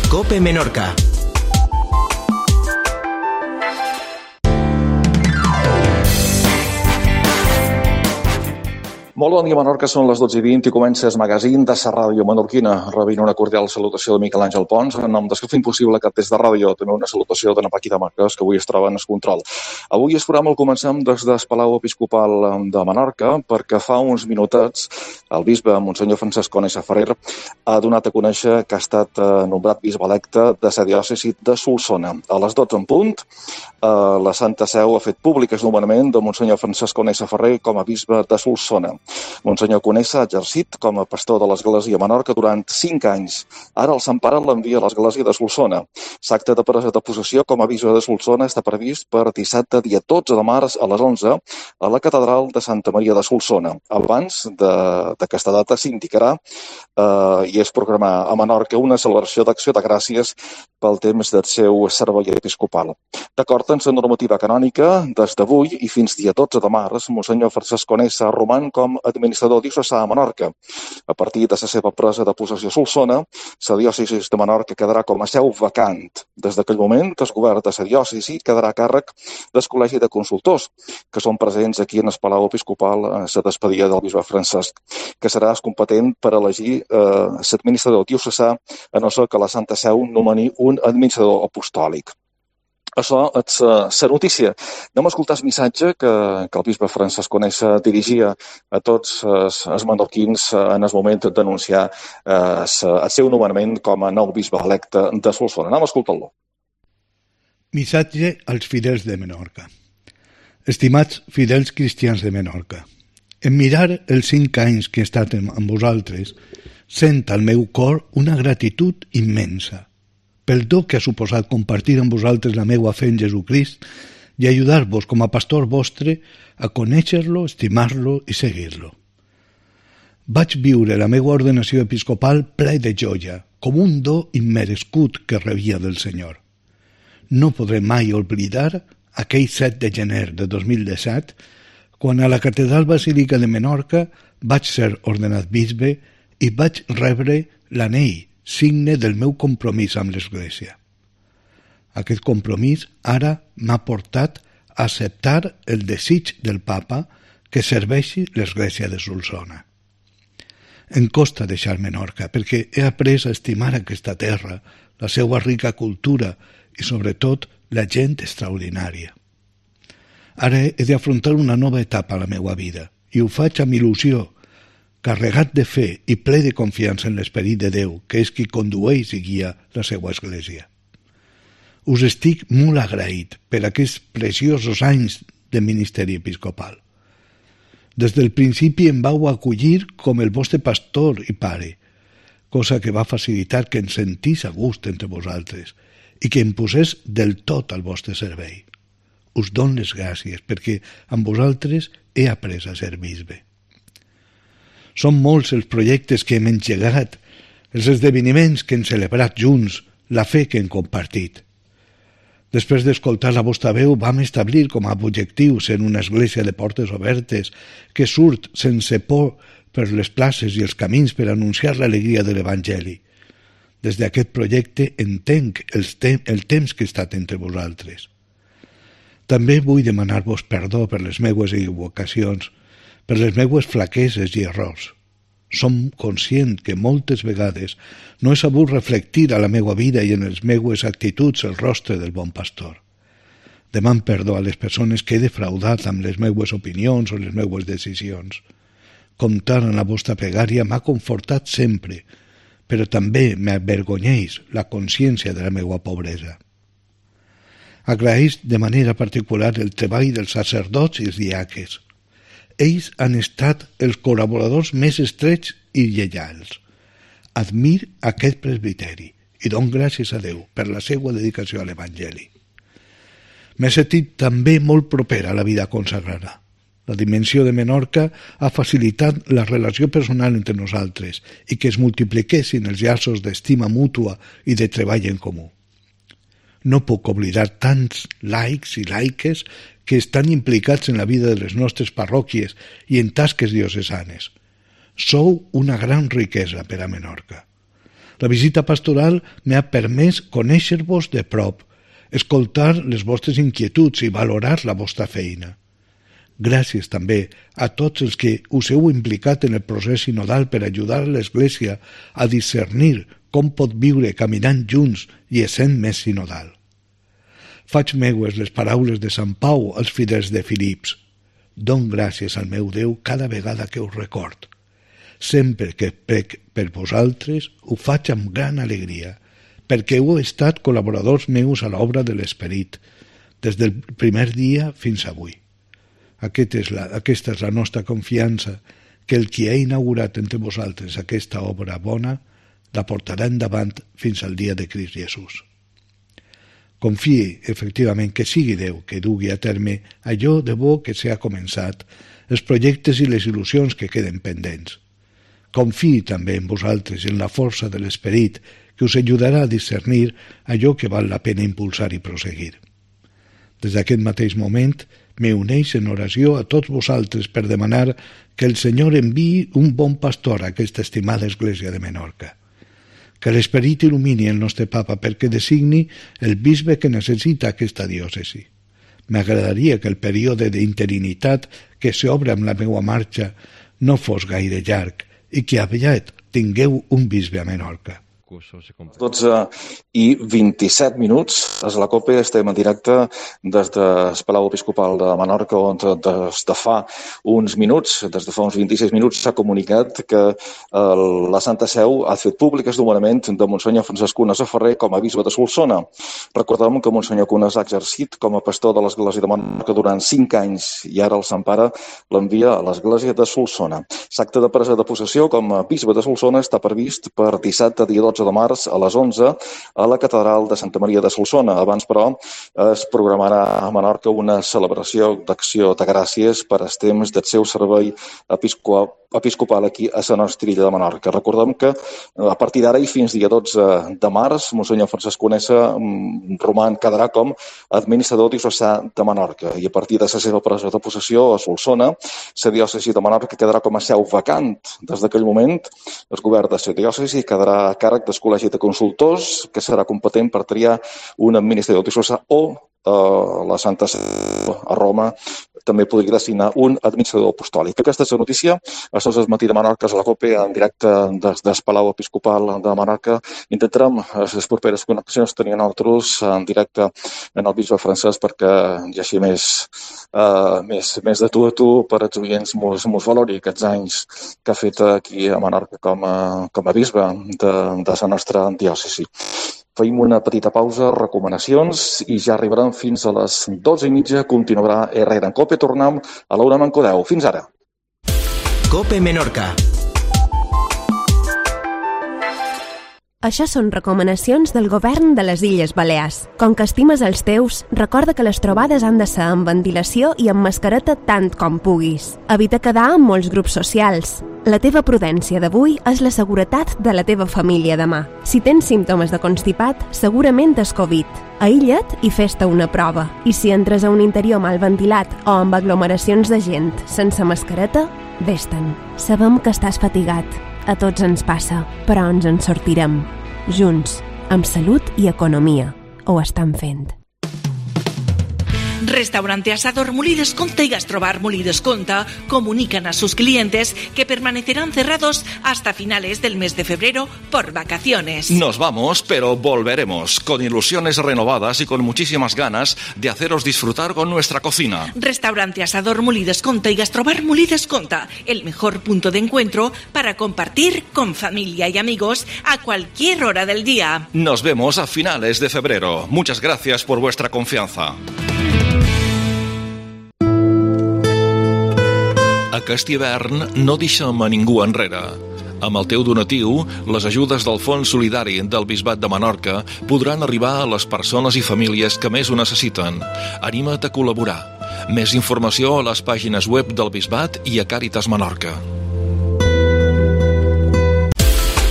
COPE Menorca. Molt bon dia, Menorca, són les 12:20 i comença el magazín de la ràdio menorquina. Rebint una cordial salutació de Miquel Àngel Pons, en nom dels que fem possible aquest test de ràdio. També una salutació de Paquita Marquès, que avui es troba en el control. Avui el programa el comencem des del Palau Episcopal de Menorca, perquè fa uns minutets el bisbe, Monsenyor Francesc Conesa Ferrer, ha donat a conèixer que ha estat nombrat bisbe electe de la diòcesi de Solsona. A les 12 en punt, la Santa Seu ha fet públic el nomenament de Monsenyor Francesc Conesa Ferrer com a bisbe de Solsona. Monsenyor Conesa ha exercit com a pastor de l'Església de Menorca durant 5 anys. Ara el Sant Pare l'envia a l'Església de Solsona. L'acte de presa de possessió com a bisbe de Solsona està previst per dissabte, dia 12 de març, a les 11, a la Catedral de Santa Maria de Solsona. Abans d'aquesta data s'indicarà i es programarà a Menorca una celebració d'acció de gràcies pel temps del seu servei episcopal. D'acord amb la normativa canònica, des d'avui i fins dia 12 de març, Monsenyor Francesc Conesa roman com administrador diocesà a Menorca. A partir de la seva presa de possessió a Solsona, la diòcesi de Menorca quedarà com a seu vacant. Des d'aquell moment, el govern de la diòcesi quedarà a càrrec del Col·legi de Consultors, que són presents aquí en el Palau Episcopal a la despedida del bisbe Francesc, que serà competent per elegir l'administrador diocesà, a no ser que la Santa Seu nomeni un administrador apostòlic. Això és la notícia. Anem a escoltar el missatge que el bisbe Francesc Conesa dirigia a tots els menorquins en el moment d'anunciar el seu nomenament com a nou bisbe electe de Solsona. Anem a escoltar-lo. Missatge als fidels de Menorca. Estimats fidels cristians de Menorca, en mirar els 5 anys que he estat amb vosaltres, sent al meu cor una gratitud immensa pel do que ha suposat compartir amb vosaltres la meua fe en Jesucrist i ajudar-vos com a pastor vostre a conèixer-lo, estimar-lo i seguir-lo. Vaig viure la meua ordenació episcopal ple de joia, com un do immerescut que rebia del Senyor. No podré mai oblidar aquell 7 de gener de 2017, quan a la Catedral Basílica de Menorca vaig ser ordenat bisbe i vaig rebre l'anell, signe del meu compromís amb l'Església. Aquest compromís ara m'ha portat a acceptar el desig del Papa que serveixi l'Església de Solsona. Em costa deixar Menorca perquè he après a estimar aquesta terra, la seva rica cultura i, sobretot, la gent extraordinària. Ara he d'afrontar una nova etapa a la meva vida i ho faig amb il·lusió, carregat de fe i ple de confiança en l'Esperit de Déu, que és qui condueix i guia la seva Església. Us estic molt agraït per aquests preciosos anys de ministeri episcopal. Des del principi em vau acollir com el vostre pastor i pare, cosa que va facilitar que em sentís a gust entre vosaltres i que em posés del tot al vostre servei. Us dono les gràcies perquè amb vosaltres he après a ser bisbe. Són molts els projectes que hem engegat, els esdeveniments que hem celebrat junts, la fe que hem compartit. Després d'escoltar la vostra veu, vam establir com a objectiu ser una església de portes obertes que surt sense por per les places i els camins per anunciar l'alegria de l'Evangeli. Des d'aquest projecte entenc el temps que he estat entre vosaltres. També vull demanar-vos perdó per les meues equivocacions, per les meues flaqueses i errors. Som conscient que moltes vegades no he sabut reflectir a la meua vida i en les meues actituds el rostre del bon pastor. Deman perdó a les persones que he defraudat amb les meues opinions o les meues decisions. Comptar en la vostra pregària m'ha confortat sempre, però també m'avergonyeix la consciència de la meua pobresa. Agraeix de manera particular el treball dels sacerdots i els diaques. Ells han estat els col·laboradors més estrets i lleials. Admir aquest presbiteri i dono gràcies a Déu per la seva dedicació a l'Evangeli. M'he sentit també molt proper a la vida consagrada. La dimensió de Menorca ha facilitat la relació personal entre nosaltres i que es multipliquessin els llaços d'estima mútua i de treball en comú. No puc oblidar tants laics i laiques que estan implicats en la vida de les nostres parròquies i en tasques diocesanes. Sou una gran riquesa per a Menorca. La visita pastoral m'ha permès conèixer-vos de prop, escoltar les vostres inquietuds i valorar la vostra feina. Gràcies també a tots els que us heu implicat en el procés sinodal per ajudar l'Església a discernir com pot viure caminant junts i essent més sinodal. Faig meues les paraules de Sant Pau als fidels de Filips. Don gràcies al meu Déu cada vegada que us record. Sempre que prec per vosaltres ho faig amb gran alegria, perquè heu estat col·laboradors meus a l'obra de l'Esperit, des del primer dia fins avui. Aquesta és la nostra confiança, que el qui ha inaugurat entre vosaltres aquesta obra bona la portarà endavant fins al dia de Crist Jesús. Confie, efectivament, que sigui Déu que dugui a terme allò de bo que s'ha començat, els projectes i les il·lusions que queden pendents. Confie també en vosaltres i en la força de l'Esperit que us ajudarà a discernir allò que val la pena impulsar i proseguir. Des d'aquest mateix moment, me uneix en oració a tots vosaltres per demanar que el Senyor enviï un bon pastor a aquesta estimada Església de Menorca. Que l'Esperit il·lumini el nostre papa perquè designi el bisbe que necessita aquesta diòcesi. M'agradaria que el període d'interinitat que s'obre amb la meva marxa no fos gaire llarg i que aviat tingueu un bisbe a Menorca. 12:27 és la COPE, estem en directe des del Palau Episcopal de Menorca, on des de fa uns 26 minuts, s'ha comunicat que la Santa Seu ha fet públic el nomenament de Monsenyor Francesc Cunas Ferrer com a bisbe de Solsona. Recordem que Monsenyor Cunas ha exercit com a pastor de l'Església de Menorca durant 5 anys i ara el Sant Pare l'envia a l'Església de Solsona. L'acte de presa de possessió com a bisbe de Solsona està previst per dissabte, dia 12 de març, a les 11, a la Catedral de Santa Maria de Solsona. Abans, però, es programarà a Menorca una celebració d'acció de gràcies per als temps del seu servei episcopal aquí a la nostra illa de Menorca. Recordem que a partir d'ara i fins dia 12 de març, Monsenyor Francesc Cunas quedarà com a administrador diocesà de Menorca i a partir de la seva presa de possessió a Solsona, la diòcesi de Menorca quedarà com a seu vacant. Des d'aquell moment, el govern de la diòcesi quedarà a càrrec del Col·legi de Consultors, que serà competent per triar un administrador diocesà o la Santa Seu a Roma també podria designar un administrador apostòlic. Aquesta és la notícia. A Sos del Matí de Menorca, a la COPE, en directe des del Palau Episcopal de Menorca. Intentarem les properes connexions tenir nosaltres en directe en el bisbe francès perquè hi hagi més de tu a tu per als oients mos valori aquests anys que ha fet aquí a Menorca com a bisbe de la nostra diòcesi. Feim una petita pausa, recomanacions, i ja arribarem fins a les 12:30. Continuarà Herrera en COPE. Tornem a l'Aula Mancodeu. Fins ara. COPE Menorca. Això són recomanacions del govern de les Illes Balears. Com que estimes els teus, recorda que les trobades han de ser amb ventilació i amb mascareta tant com puguis. Evita quedar en molts grups socials. La teva prudència d'avui és la seguretat de la teva família demà. Si tens símptomes de constipat, segurament és Covid. Aïlla't i fes-te una prova. I si entres a un interior mal ventilat o amb aglomeracions de gent sense mascareta, vés-te'n. Sabem que estàs fatigat. A tots ens passa, però ens en sortirem. Junts, amb salut i economia. Ho estan fent. Restaurante Asador Molí Desconta y Gastrobar Molí Desconta comunican a sus clientes que permanecerán cerrados hasta finales del mes de febrero por vacaciones. Nos vamos, pero volveremos, con ilusiones renovadas y con muchísimas ganas de haceros disfrutar con nuestra cocina. Restaurante Asador Molí Desconta y Gastrobar Molí Desconta, el mejor punto de encuentro para compartir con familia y amigos a cualquier hora del día. Nos vemos a finales de febrero. Muchas gracias por vuestra confianza. Aquest hivern no deixem a ningú enrere. Amb el teu donatiu, les ajudes del Fons Solidari del Bisbat de Menorca podran arribar a les persones i famílies que més ho necessiten. Anima't a col·laborar. Més informació a les pàgines web del Bisbat i a Càritas Menorca.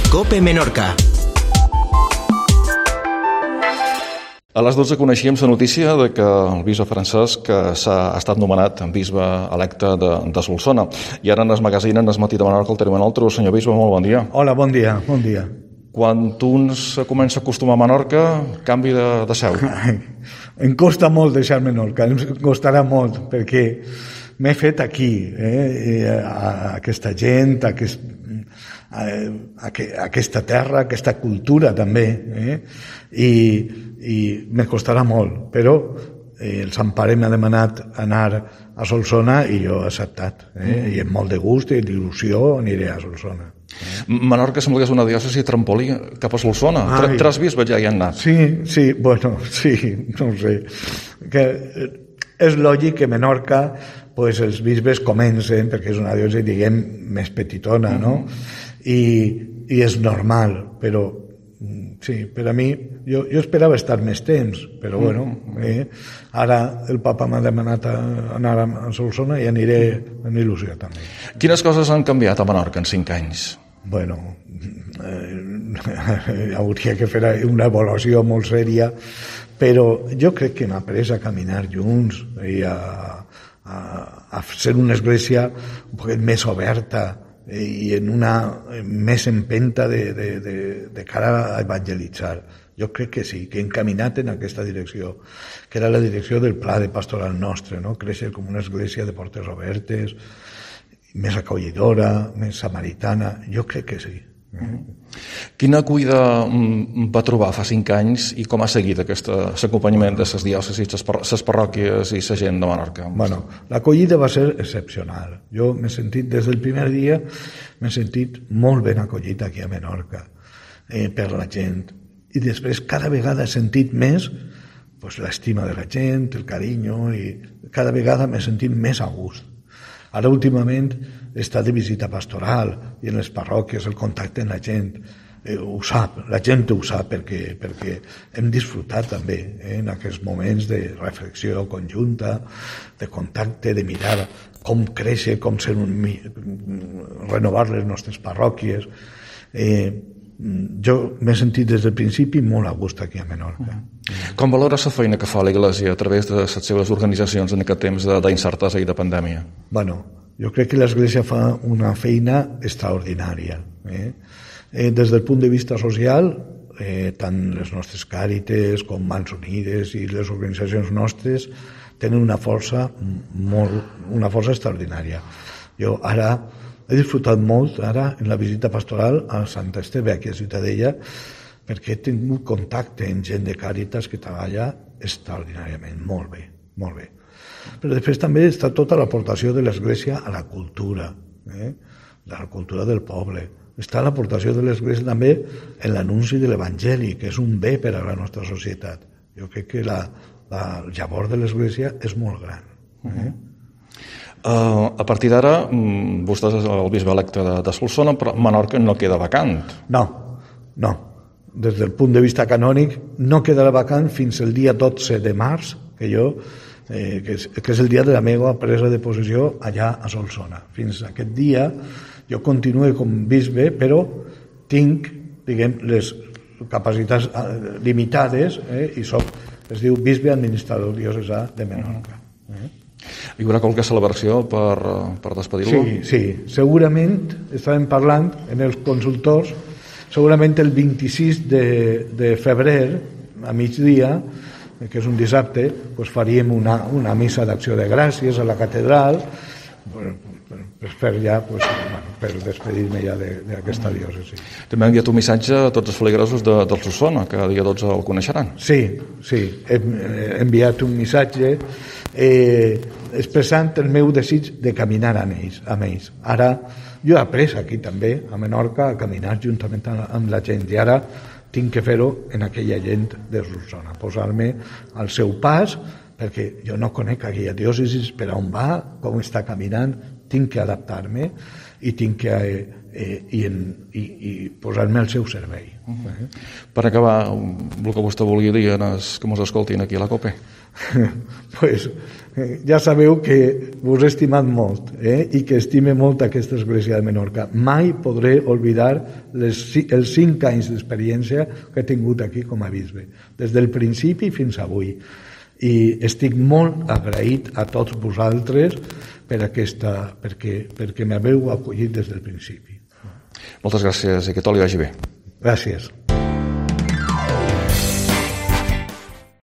COPE Menorca. A les 12 coneixíem la notícia de que el bisbe Francesc ha estat nomenat bisbe electe de Solsona. I ara en el magazín, en el Matí de Menorca, el tenim en altre. Senyor bisbe, molt bon dia. Hola, bon dia, bon dia. Quan un se comença a acostumar a Menorca, canvi de seu. Em costa molt deixar Menorca, em costarà molt, perquè m'he fet aquí, aquesta gent, aquesta terra, aquesta cultura també, i me costarà molt, però el Sant Pare m'ha demanat anar a Solsona i jo he acceptat, i amb molt de gust i d'il·lusió aniré a Solsona. Menorca sembla que és una diòcesi trampolí cap a Solsona. Tres bisbes ja hi han anat. Sí, bueno, sí, no ho sé. Que és lògic que Menorca, pues, els bisbes comencen, perquè és una diòcesi, diguem, més petitona, no? I és normal, però sí, per a mi, jo esperava estar més temps, però bueno, ara el papa m'ha demanat anar a Solsona i aniré amb il·lusió també. Quines coses han canviat a Menorca en 5 anys? Bueno, hauria que fer una avaluació molt sèria, però jo crec que hem après a caminar junts i a ser una església un poc més oberta i en una més empenta de cara a evangelitzar. Jo crec que sí, que hem caminat en aquesta direcció, que era la direcció del pla de pastoral nostre, no? Créixer com una església de portes obertes, més acollidora, més samaritana. Jo crec que sí. Quina acollida va trobar fa 5 anys i com ha seguit aquest acompanyament de les diòcesis, les parròquies i la gent de Menorca? Bueno, l'acollida va ser excepcional. Jo m'he sentit, des del primer dia, m'he sentit molt ben acollit aquí a Menorca per la gent. I després cada vegada he sentit més l'estima de la gent, el carinyo, i cada vegada m'he sentit més a gust. Ara últimament està de visita pastoral i en les parròquies el contacte amb la gent ho sap, la gent ho sap perquè hem disfrutat també en aquests moments de reflexió conjunta, de contacte, de mirar com créixer, com renovar les nostres parròquies. Jo m'he sentit des del principi molt a gust aquí a Menorca. Com valora la feina que fa l'Església a través de les seves organitzacions en aquest temps d'incertesa i de pandèmia? Bueno, jo crec que l'Església fa una feina extraordinària. Des del punt de vista social, tant les nostres càrites com Mans Unides i les organitzacions nostres tenen una força extraordinària. Jo ara he disfrutat molt ara en la visita pastoral a Sant Esteve, aquí a Ciutadella, perquè he tingut contacte amb gent de Càritas que treballa extraordinàriament, molt bé, molt bé. Però després també està tota l'aportació de l'Església a la cultura, de la cultura del poble. Està l'aportació de l'Església també en l'anunci de l'Evangeli, que és un bé per a la nostra societat. Jo crec que el llavor de l'Església és molt gran. A partir d'ara, vostè és el bisbe electe de Solsona, però Menorca no queda vacant. No. Des del punt de vista canònic no quedarà vacant fins el dia 12 de març, que és el dia de la meva presa de possessió allà a Solsona. Fins aquest dia jo continuo com bisbe, però tinc, diguem, les capacitats limitades i es diu bisbe administrador diocesà de Menorca. Hi haurà qualque celebració per despedir-lo? Sí, segurament estàvem parlant en els consultors, segurament el 26 de febrer a migdia, que és un dissabte, faríem una missa d'acció de gràcies a la catedral per despedir-me ja d'aquesta diòcesi. També ha enviat un missatge a tots els feligresos de Solsona, que dia 12 el coneixeran. Sí, he enviat un missatge expressant el meu desig de caminar amb ells. Ara, jo he après aquí també, a Menorca, a caminar juntament amb la gent, i ara tinc que fer-ho en aquella gent de Solsona, posar-me al seu pas, perquè jo no conec aquella diòcesi, per on va, com està caminant, tinc que adaptar-me i tinc que posar-me al seu servei. Per acabar, el que vostè vulgui dir que mos escoltin aquí a la COPE? Ja sabeu que vos he estimat molt i que estime molt aquesta església de Menorca. Mai podré oblidar els 5 anys d'experiència que he tingut aquí com a bisbe, des del principi fins avui. I estic molt agraït a tots vosaltres perquè m'haveu acollit des del principi. Moltes gràcies i que tot li vagi bé. Gràcies.